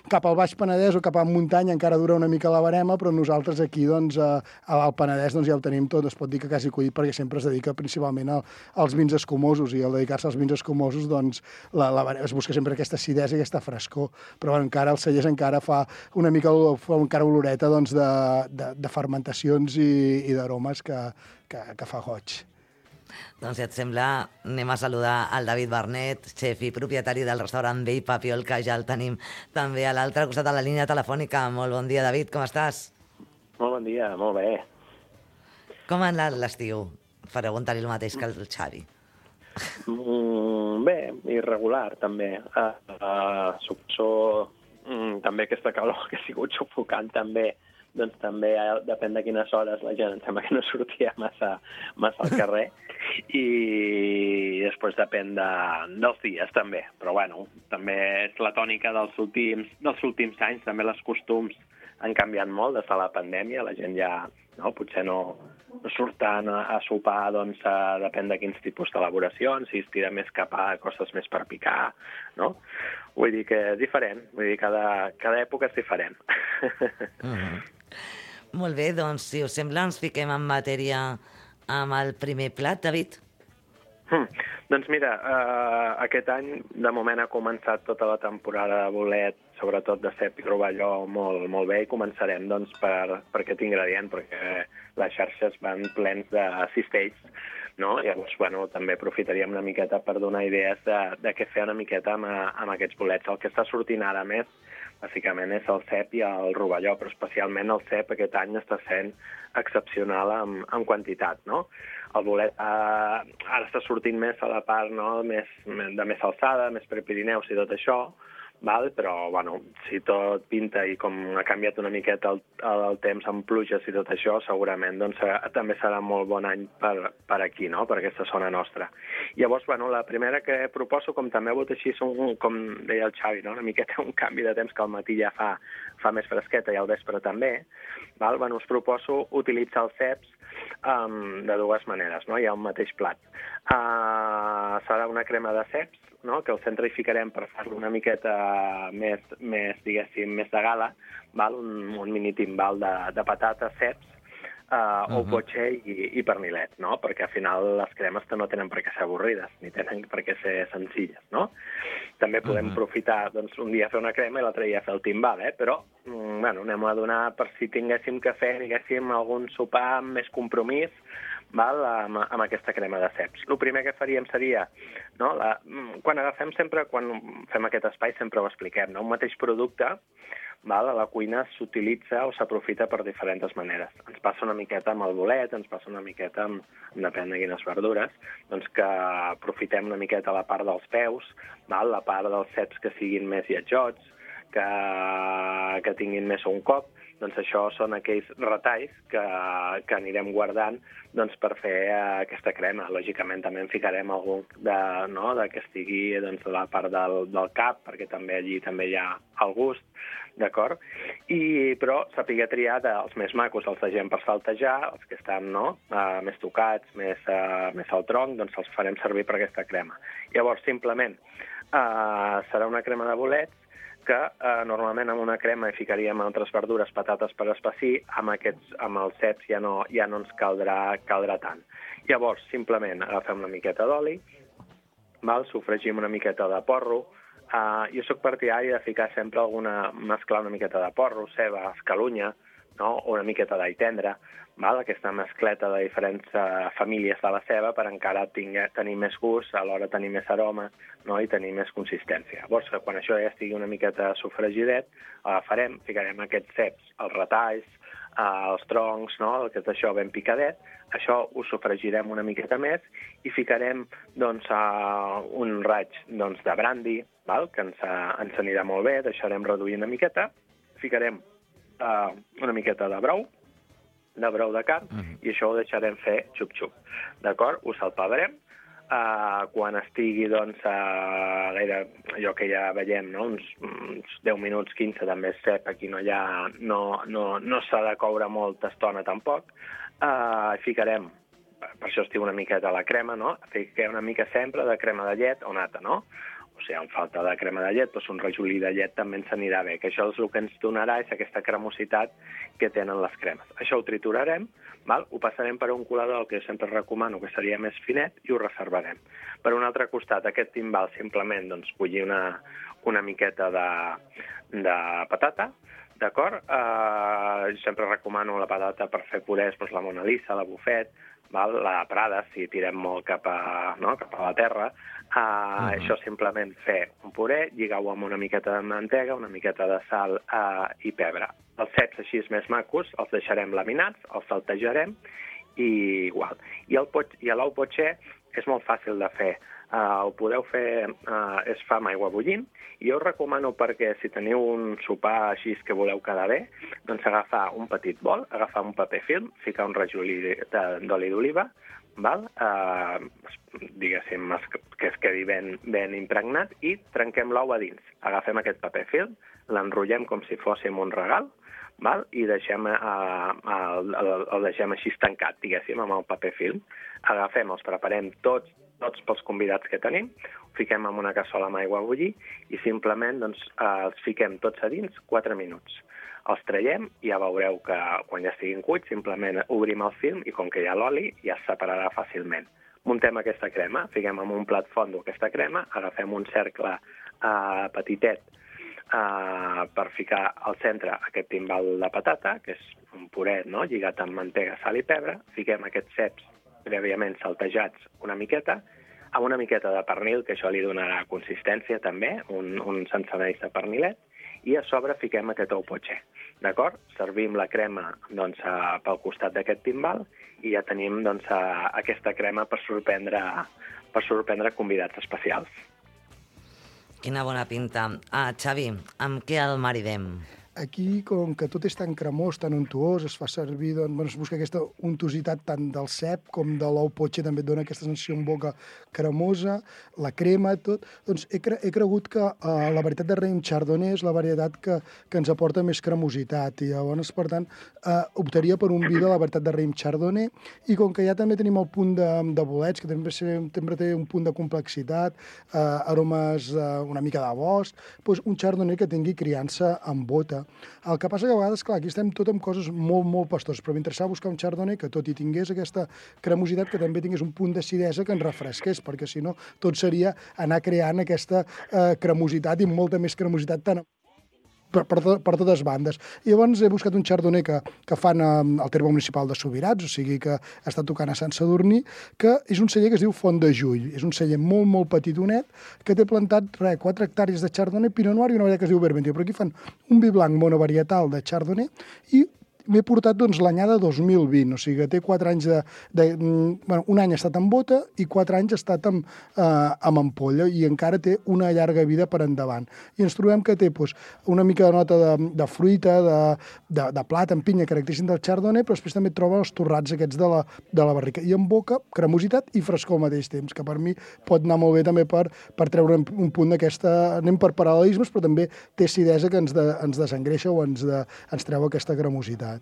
cap al Baix Penedès o cap a muntanya encara dura una mica la Verema, però nosaltres aquí al Penedès ja ho tenim tot, es pot dir que quasi collit, perquè sempre es dedica principalment als vins escumosos, i al dedicar-se als vins escumosos es busca sempre aquesta acidesa i aquesta frescor, però encara el Cellers encara fa una mica encara oloreta de fermentacions i d'aromes que fa goig. Doncs si et sembla, anem a saludar el David Bernet, xef i propietari del restaurant Vell Papiol, que ja el tenim també a l'altre costat de la línia telefònica. Molt bon dia, David, com estàs? Molt bon dia, molt bé. Com ha anat l'estiu? Preguntar-li el mateix que el Xavi. Bé, irregular, també. Suposo també aquesta calor que ha sigut sufocant, també. Doncs també depèn de quines hores la gent, em sembla que no sortia massa al carrer, i després depèn dels dies també, però també és la tònica dels últims anys, també els costums han canviat molt des de la pandèmia, la gent ja potser no surt tant a sopar, depèn de quins tipus d'elaboracions, si es tira més cap a coses més per picar, no? Vull dir que és diferent, cada època és diferent. Molt bé, doncs, si us sembla, ens fiquem en matèria amb el primer plat, David. Doncs mira, aquest any, de moment, ha començat tota la temporada de bolet, sobretot de cep i rovelló, molt bé, i començarem per aquest ingredient, perquè les xarxes van plens de cistells, no? Llavors, també aprofitaríem una miqueta per donar idees de què fer una miqueta amb aquests bolets. El que està sortint ara més, bàsicament, és el cep i el rovelló, però especialment el cep aquest any està sent excepcional en quantitat, no? El bolet ara està sortint més a la part de més alçada, més Prepirineus i tot això, però si tot pinta i com ha canviat una miqueta el temps amb pluges i tot això, segurament també serà molt bon any per aquí, no? Per aquesta zona nostra. Llavors, la primera que proposo, com també ha hagut així, com deia el Xavi, una miqueta un canvi de temps, que al matí ja fa més fresqueta i al vespre també, us proposo utilitzar els ceps de dues maneres, no? Hi ha un mateix plat. Serà una crema de ceps, no? Que al centre hi ficarem per fer-lo una miqueta més, diguéssim, més de gala, un mini timbal de patates, ceps, o potxer i pernilet, no? Perquè al final les cremes no tenen per què ser avorrides, ni tenen per què ser senzilles, no? També podem aprofitar un dia fer una crema i l'altre dia fer el timbal, però anem a donar, per si tinguéssim que fer, algun sopar amb més compromís, amb aquesta crema de ceps. El primer que faríem seria, quan fem aquest espai sempre ho expliquem, un mateix producte, a la cuina s'utilitza o s'aprofita per diferents maneres. Ens passa una miqueta amb el bolet, ens passa una miqueta amb depèn de quines verdures, que aprofitem una miqueta la part dels peus, la part dels ceps que siguin més lletjots, que tinguin més un cop, doncs això són aquells retalls que anirem guardant doncs, per fer aquesta crema. Lògicament també en ficarem algun que estigui doncs, a la part del cap, perquè també allí també hi ha el gust, d'acord? Però saber triar dels més macos, els de gent per saltejar, els que estan més tocats, més al tronc, doncs els farem servir per aquesta crema. Llavors, simplement, serà una crema de bolets que normalment amb una crema hi ficaríem altres verdures, patates per espessir, amb els ceps ja no ens caldrà tant. Llavors, simplement agafem una miqueta d'oli, sofregim una miqueta de porro. Jo soc partidari de ficar sempre mesclar una miqueta de porro, ceba, escalunya, o una miqueta d'all tendre, aquesta mescleta de diferents famílies de la ceba per encara tenir més gust, alhora tenir més aroma i tenir més consistència. Llavors, quan això ja estigui una miqueta sofregidet, agafarem, ficarem aquests ceps, els retalls, els troncs, que és això ben picadet, això ho sofregirem una miqueta més i ficarem un raig de brandi, que ens anirà molt bé, deixarem reduir una miqueta, ficarem una miqueta de brou de carn, i això ho deixarem fer xup-xup. D'acord? Ho salpebrem. Quan estigui, allò que ja veiem, uns 10 minuts, 15, també és cep, aquí no s'ha de coure molta estona tampoc, ficarem, per això es diu una miqueta la crema, fiquem una mica sempre de crema de llet o nata, O sigui, amb falta de crema de llet, doncs un rajolí de llet també ens anirà bé, que això és el que ens donarà és aquesta cremositat que tenen les cremes. Això ho triturarem, ho passarem per un colador, el que jo sempre recomano, que seria més finet, i ho reservarem. Per un altre costat, aquest timbal simplement bullir una miqueta de patata, d'acord? Sempre recomano la patata per fer purès, la Mona Lisa, la Buffet, la Prada, si tirem molt cap a la terra. Això simplement fer un puré, lligar-ho amb una miqueta de mantega, una miqueta de sal i pebre. Els ceps així més macos els deixarem laminats, els saltejarem i igual. I l'ou potxer és molt fàcil de fer. Ho podeu fer, es fa amb aigua bullint, i jo us recomano perquè si teniu un sopar així que voleu quedar bé, doncs agafar un petit bol, agafar un paper film, ficar un rajolí d'oli d'oliva, diguéssim, que es quedi ben impregnat, i trenquem l'ou a dins. Agafem aquest paper film, l'enrotllem com si fóssim un regal, i el deixem així tancat, diguéssim, amb el paper film. Agafem, els preparem tots pels convidats que tenim, ho fiquem en una cassola amb aigua a bullir i simplement els fiquem tots a dins 4 minuts. Els traiem i ja veureu que quan ja estiguin cuits simplement obrim el film i com que hi ha l'oli ja es separarà fàcilment. Muntem aquesta crema, fiquem en un plat fondo aquesta crema, agafem un cercle petitet per ficar al centre aquest timbal de patata, que és un puré lligat amb mantega, sal i pebre, fiquem aquests ceps prèviament saltejats una miqueta, amb una miqueta de pernil, que això li donarà consistència també, un sencenells de pernilet, i a sobre fiquem aquest ou potxer. D'acord? Servim la crema pel costat d'aquest timbal i ja tenim aquesta crema per sorprendre convidats especials. Quina bona pinta. Xavi, amb què el maridem? Aquí, com que tot és tan cremós, tan untuós, es fa servir, es busca aquesta untositat tant del cep com de l'ou potxer, també et dona aquesta sensació en boca cremosa, la crema, tot. Doncs he cregut que la varietat de raïm chardonnay és la varietat que ens aporta més cremositat, i llavors, per tant, optaria per un vi de la varietat de raïm chardonnay, i com que ja també tenim el punt de bolets, que també té un punt de complexitat, aromes una mica de bosc, doncs un chardonnay que tingui criança en bota. El que passa que a vegades, clar, aquí estem tot amb coses molt, molt pastors, però m'interessava buscar un chardonnay que tot i tingués aquesta cremositat, que també tingués un punt d'acidesa que ens refresqués, perquè si no tot seria anar creant aquesta cremositat i molta més cremositat tant per totes bandes. I llavors he buscat un chardonnay que fan al terme municipal de Subirats, o sigui que està tocant a Sant Sadurní, que és un celler que es diu Font de Jull. És un celler molt, molt petitonet, que té plantat 4 hectàrees de chardonnay, pinot noir i una varietat que es diu Vermentino. Però aquí fan un vi blanc monovarietal de chardonnay i m'he portat l'anyada 2020, o sigui que té 4 anys un any ha estat en bota i 4 anys ha estat amb ampolla i encara té una llarga vida per endavant. I ens trobem que té una mica de nota de fruita, de plat, en pinya, característic del chardonnay, però després també troba els torrats aquests de la barrica. I en boca, cremositat i frescor al mateix temps, que per mi pot anar molt bé també per treure un punt d'aquesta... Anem per paral·lelismes, però també té acidesa que ens desengreixa o ens treu aquesta cremositat.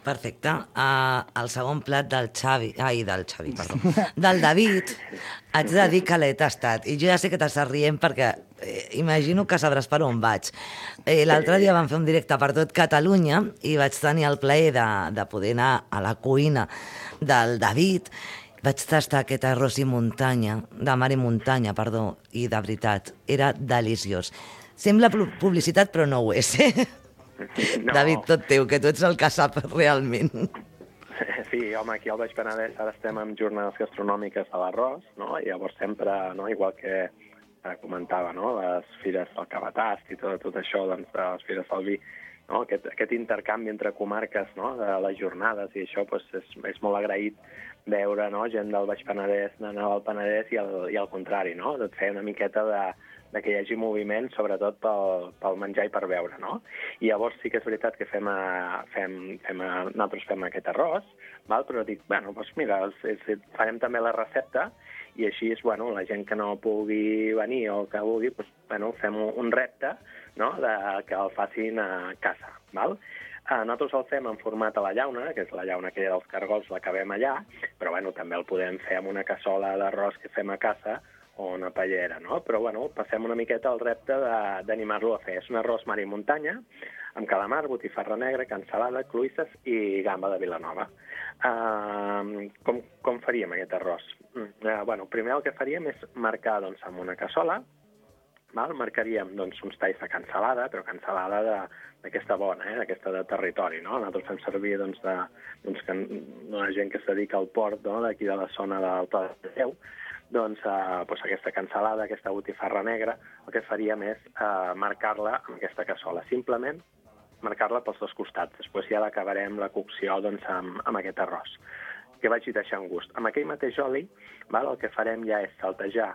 Perfecte. El segon plat del David, haig de dir que l'he tastat. I jo ja sé que t'estàs rient perquè imagino que sabràs per on vaig. L'altre dia vam fer un directe per tot Catalunya i vaig tenir el plaer de poder anar a la cuina del David. Vaig tastar aquest arròs de mar i muntanya, i de veritat, era deliciós. Sembla publicitat, però no ho és, No. David, tot teu, que tu ets el que sap realment. Sí, home, aquí al Baix Penedès ara estem en jornades gastronòmiques de l'arròs, no? I llavors sempre, no? Igual que comentava, no? Les fires del Cabatast i tot això, doncs, de les fires del vi, no? Aquest intercanvi entre comarques, no? De les jornades i això, doncs, és molt agraït veure, no? Gent del Baix Penedès anar al Penedès i al contrari, no? Et feia una miqueta de que hi hagi moviment, sobretot pel menjar i per beure, no? I llavors sí que és veritat que nosaltres fem aquest arròs, però dic, doncs mira, farem també la recepta i així, la gent que no pugui venir o que vulgui, fem un repte, no?, que el facin a casa, val? Nosaltres el fem en format a la llauna, que és la llauna aquella dels cargols, l'acabem allà, però també el podem fer amb una cassola d'arròs que fem a casa o una paellera, no? Però, passem una miqueta al repte d'animar-lo a fer. És un arròs mar i muntanya, amb calamar, botifarra negra, cansalada, cloïsses i gamba de Vilanova. Com faríem aquest arròs? Primer el que faríem és marcar amb una cassola, marcaríem uns talls de cansalada, però cansalada d'aquesta bona, d'aquesta de territori, no? Nosaltres fem servir una gent que es dedica al port d'aquí de la zona del Pla de Déu, aquesta cansalada, aquesta botifarra negra, el que faríem és marcar-la amb aquesta cassola, simplement marcar-la pels dos costats. Després ja l'acabarem la cocció amb aquest arròs, que vagi deixant gust. Amb aquell mateix oli, el que farem ja és saltejar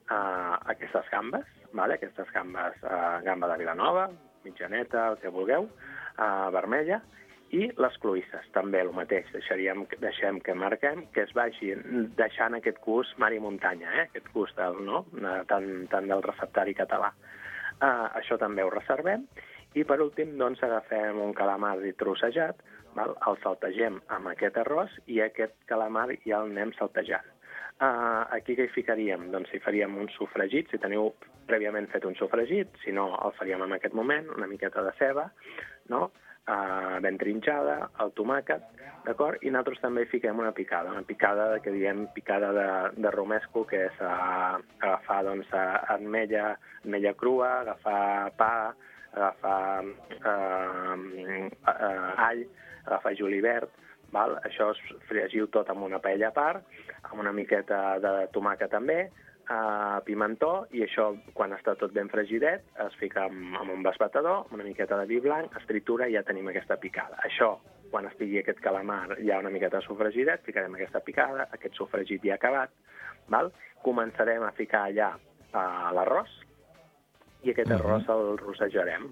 aquestes gambes, gamba de Vilanova, mitjaneta, el que vulgueu, vermella, i les cloïsses, també el mateix. Deixem que marquem, que es vagi deixant aquest gust mar i muntanya, aquest gust tant del receptari català. Això també ho reservem. I per últim, agafem un calamar trossejat, el saltegem amb aquest arròs i aquest calamar ja el anem saltejant. Aquí què hi ficaríem? Doncs hi faríem un sofregit, si teniu prèviament fet un sofregit, si no el faríem en aquest moment, una miqueta de ceba, no?, ben trinxada, el tomàquet, d'acord? I nosaltres també hi fiquem una picada que diem picada de romesco, que és agafar ametlla crua, agafar pa, agafar all, agafar julivert, això es fregiu tot amb una paella a part, amb una miqueta de tomàquet també, pimentó, i això, quan està tot ben fregidet, es fica amb un basbatador, amb una miqueta de vi blanc, es tritura i ja tenim aquesta picada. Això, quan estigui aquest calamar ja una miqueta sofregidet, ficarem aquesta picada, aquest sofregit ja acabat, començarem a ficar allà l'arròs, i aquest arròs el rossejarem,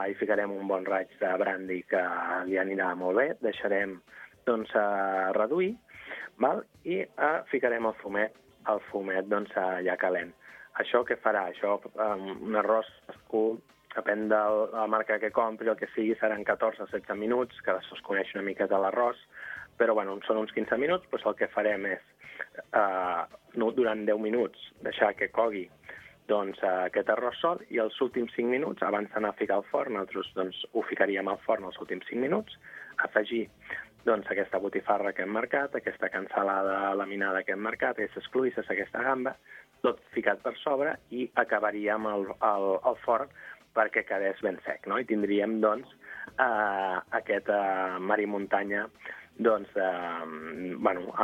hi ficarem un bon raig de brandi que li anirà molt bé, deixarem reduir, i ficarem el fumet ja calent. Això què farà? Això, un arròs depèn de la marca que compri, el que sigui, seran 14 o 16 minuts, que es coneix una mica de l'arròs, però són uns 15 minuts, doncs el que farem és, durant 10 minuts, deixar que cogui aquest arròs sol, i els últims 5 minuts, abans d'anar a ficar al forn, nosaltres ho ficaríem al forn els últims 5 minuts, afegir aquesta botifarra que hem marcat, aquesta cansalada laminada que hem marcat, aquestes cloïsses, aquesta gamba, tot ficat per sobre, i acabaríem el forn perquè quedés ben sec, no? I tindríem, aquest mar i muntanya,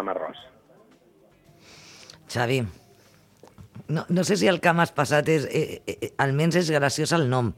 amb arròs. Xavi, no sé si el que m'has passat és... almenys és graciós el nom.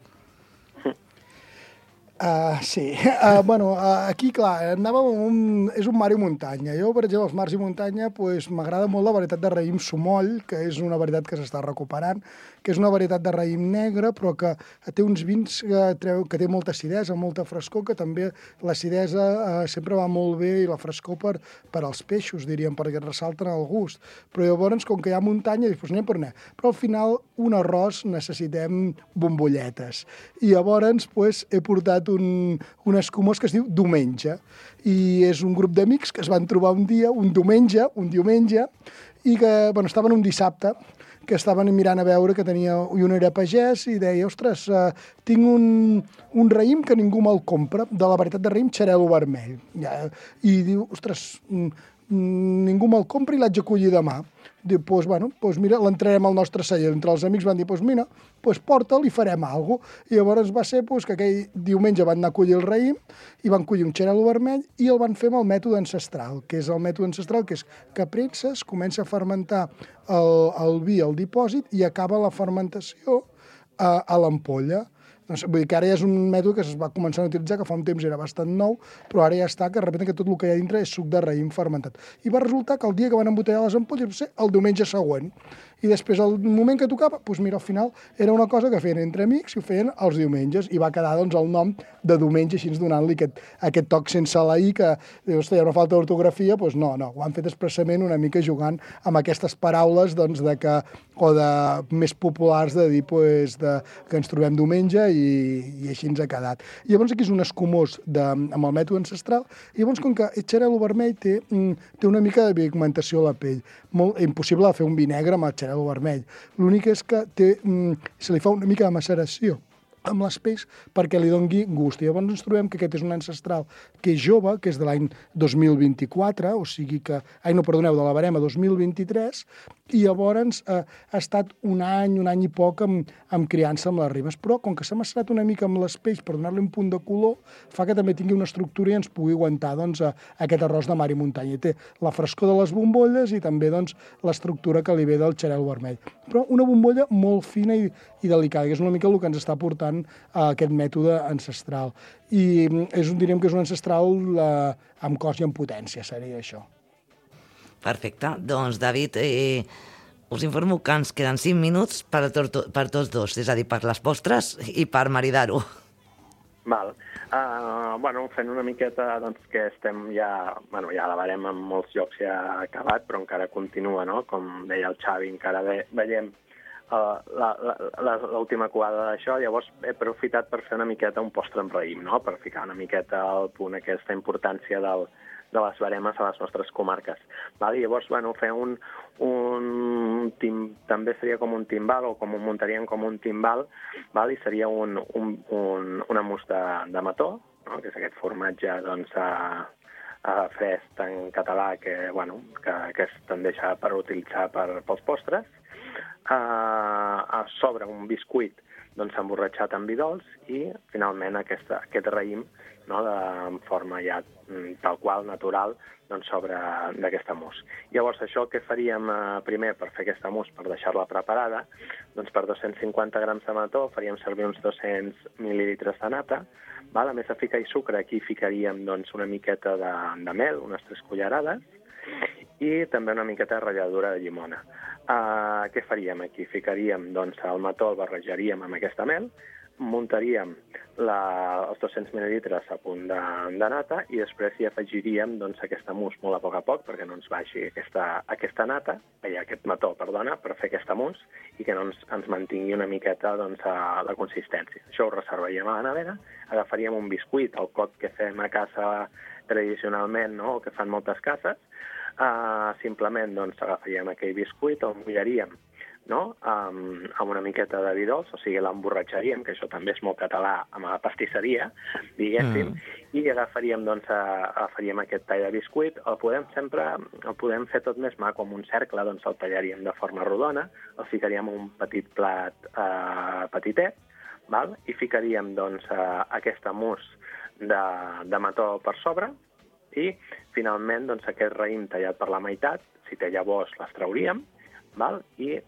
Sí. Aquí, clar, és un mar i muntanya. Jo, per exemple, els mars i muntanya, m'agrada molt la varietat de raïm Sumoll, que és una varietat que s'està recuperant, que és una varietat de raïm negre, però que té uns vins que té molta acidesa, molta frescor, que també l'acidesa sempre va molt bé i la frescor per als peixos, diríem, perquè ressalten el gust. Però llavors, com que hi ha muntanya, dius, anem per anar. Però al final, un arròs necessitem bombolletes. I llavors, he portat un escumós que es diu Diumenge, i és un grup d'amics que es van trobar un diumenge, i que, estaven un dissabte, que estaven mirant a veure que tenia, i un era pagès, i deia, ostres, tinc un raïm que ningú me'l compra, de la varietat de raïm xarel·lo vermell. I diu, ostres, ningú me'l compra i l'haig de collir demà. Diu, mira, l'entrarem al nostre celler. Entre els amics van dir, mira, porta'l i farem alguna cosa. I llavors va ser que aquell diumenge van anar a collir el raïm i van collir un xarel·lo vermell i el van fer amb el mètode ancestral, que és el mètode ancestral, que és que premses, comença a fermentar el vi al dipòsit i acaba la fermentació a l'ampolla. Vull dir que ara ja és un mètode que es va començar a utilitzar, que fa un temps era bastant nou, però ara ja està, que de sobte que tot el que hi ha dintre és suc de raïm fermentat. I va resultar que el dia que van embotellar les ampolles va ser el diumenge següent. I després, al moment que tocava, mira, al final era una cosa que feien entre amics i ho feien els diumenges, i va quedar el nom de diumenge, així donant-li aquest toc sense la i, que dius, hi ha una falta d'ortografia, no, ho han fet expressament una mica jugant amb aquestes paraules més populars de dir que ens trobem diumenge i així ens ha quedat. I llavors aquí és un escumós amb el mètode ancestral, i llavors com que el xarel·lo vermell té una mica de pigmentació a la pell, molt impossible de fer un vi negre amb el xarel·lo vermell. L'únic és que se li fa una mica de maceració amb les pells perquè li doni gust. I llavors ens trobem que aquest és un ancestral que és jove, que és de l'any 2024, o sigui que... de la barema 2023, i llavors ha estat un any i poc amb criança amb les ribes. Però com que s'ha macerat una mica amb les pells per donar-li un punt de color, fa que també tingui una estructura i ens pugui aguantar aquest arròs de mar i muntanya. I té la frescor de les bombolles i també l'estructura que li ve del xarel·lo vermell. Però una bombolla molt fina i delicada, que és una mica el que ens està portant aquest mètode ancestral. I diríem que és un ancestral amb cos i amb potència, seria això. Perfecte. Doncs, David, us informo que ens queden 5 minuts per tots dos, és a dir, per les postres i per maridar-ho. Val. Fent una miqueta, que estem ja la barem en molts llocs ja acabat, però encara continua, no? Com deia el Xavi, encara veiem l'última covada d'això. Llavors he aprofitat per fer una miqueta un postre amb raïm, no? Per ficar una miqueta al punt aquesta importància de les baremes a les nostres comarques. Llavors, fer també seria com un timbal, o com ho muntaríem com un timbal, i seria una mousse de mató, que és aquest formatge fresc en català que es tendeix per utilitzar pels postres, sobre un biscuit emborratxat amb vi dolç i, finalment, aquest raïm en forma ja tal qual, natural, sobre d'aquesta mousse. Llavors, això que faríem primer per fer aquesta mousse, per deixar-la preparada, per 250 grams de mató faríem servir uns 200 mil·lilitres de nata. A més de ficar sucre, aquí ficaríem una miqueta de mel, unes 3 cullerades, i també una miqueta de ratlladura de llimona. Què faríem aquí? Ficaríem el mató, el barrejaríem amb aquesta mel, muntaríem els 200 mil·lilitres a punt de nata i després hi afegiríem aquesta mousse molt a poc perquè no ens baixi aquesta nata, aquest mató, perdona, per fer aquesta mousse i que no ens mantingui una miqueta la consistència. Això ho reservaríem a la nevera, agafaríem un biscuit, el cot que fem a casa tradicionalment, o que fan moltes cases, simplement agafaríem aquell biscuit, el mullaríem amb una miqueta de vi dolç, o sigui, l'emborratxaríem, que això també és molt català, amb la pastisseria, diguéssim, i agafaríem aquest tall de biscuit, el podem fer tot més maco, com un cercle, el tallaríem de forma rodona, el ficaríem en un petit plat petitet, i ficaríem aquesta mousse de mató per sobre, i finalment aquest raïm tallat per la meitat, si té llavors les trauríem, val? I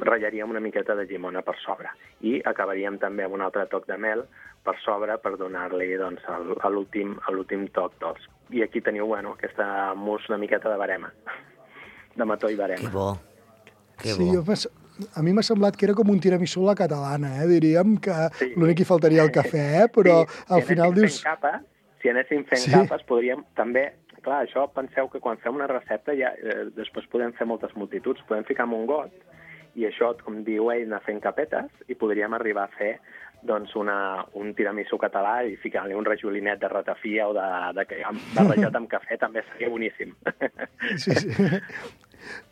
ratllaríem una miqueta de llimona per sobre. I acabaríem també amb un altre toc de mel per sobre per donar-li doncs, l'últim toc dolç. I aquí teniu aquesta mousse una miqueta de verema, de mató i verema. Que bo. Que Sí, bo. a mi m'ha semblat que era com un tiramisú a la catalana, diríem que l'únic que hi faltaria el cafè, però al final dius... Si anéssim fent capes, podríem també... Clar, això penseu que quan fem una recepta ja després podem fer moltes multituds, podem ficar en un got i això, com diu ell, anar fent capetes i podríem arribar a fer doncs, un tiramisú català i ficar-li un rajolinet de ratafia o barrejat amb cafè també seria boníssim. Sí.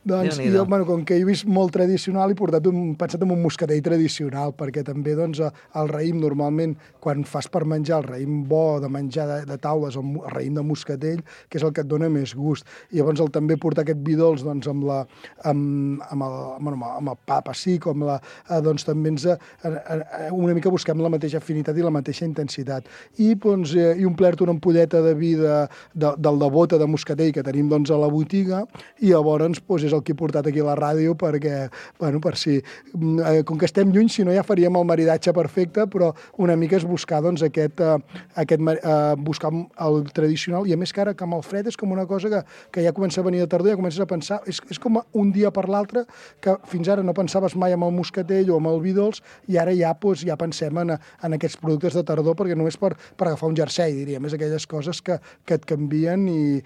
Doncs jo, com que he vist molt tradicional, he pensat en un moscatell tradicional, perquè també doncs, el raïm normalment, quan fas per menjar el raïm bo de menjar de taules, el raïm de moscatell, que és el que et dona més gust. I llavors també portar aquest vi dolç doncs, amb el pa pessic, doncs també una mica busquem la mateixa afinitat i la mateixa intensitat. I omplir-te una ampolleta de vi del de bota de moscatell que tenim doncs, a la botiga, i llavors és el que he portat aquí a la ràdio perquè, per si... Com que estem lluny, si no ja faríem el maridatge perfecte, però una mica és buscar doncs, buscar el tradicional, i a més que ara que amb el fred és com una cosa que ja comença a venir de tardor, ja comences a pensar, és com un dia per l'altre, que fins ara no pensaves mai amb el moscatell o amb el vi dolç, i ara ja pensem en aquests productes de tardor, perquè només per agafar un jersei, diríem, és aquelles coses que et canvien i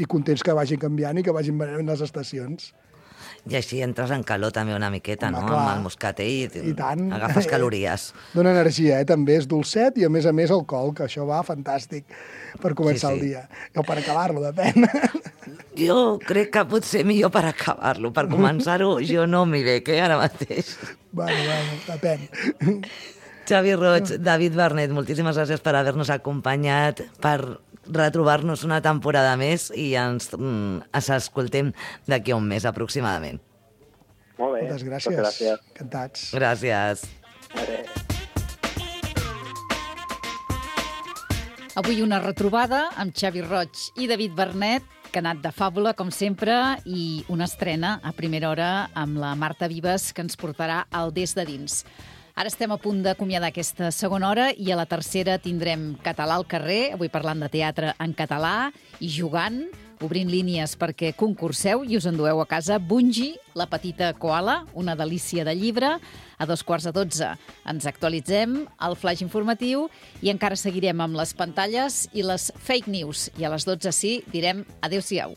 contents que vagin canviant i que vagin venint les estacions. I així entres en calor també una miqueta, no? Clar. Amb el moscatell I tant. Agafes calories. Dóna energia, també és dolcet i a més alcohol, que això va fantàstic per començar el dia. O per acabar-lo, depèn. Jo crec que potser millor per acabar-lo. Per començar-ho jo no m'hi veig, ara mateix. Bueno, depèn. Xavi Roig, David Vernet, moltíssimes gràcies per haver-nos acompanyat, per retrobar-nos una temporada més i ens escoltem d'aquí a un mes aproximadament. Molt bé. Moltes gràcies. Encantats. Gràcies. Avui una retrobada amb Xavi Roig i David Vernet, que ha anat de fàbula, com sempre, i una estrena a primera hora amb la Marta Vives, que ens portarà al Des de Dins. Ara estem a punt d'acomiadar aquesta segona hora i a la tercera tindrem Català al carrer, avui parlant de teatre en català i jugant, obrint línies perquè concurseu i us endueu a casa Bungie, la petita koala, una delícia de llibre. A 12:15 ens actualitzem el flash informatiu i encara seguirem amb les pantalles i les fake news. I a les 12 direm adéu-siau.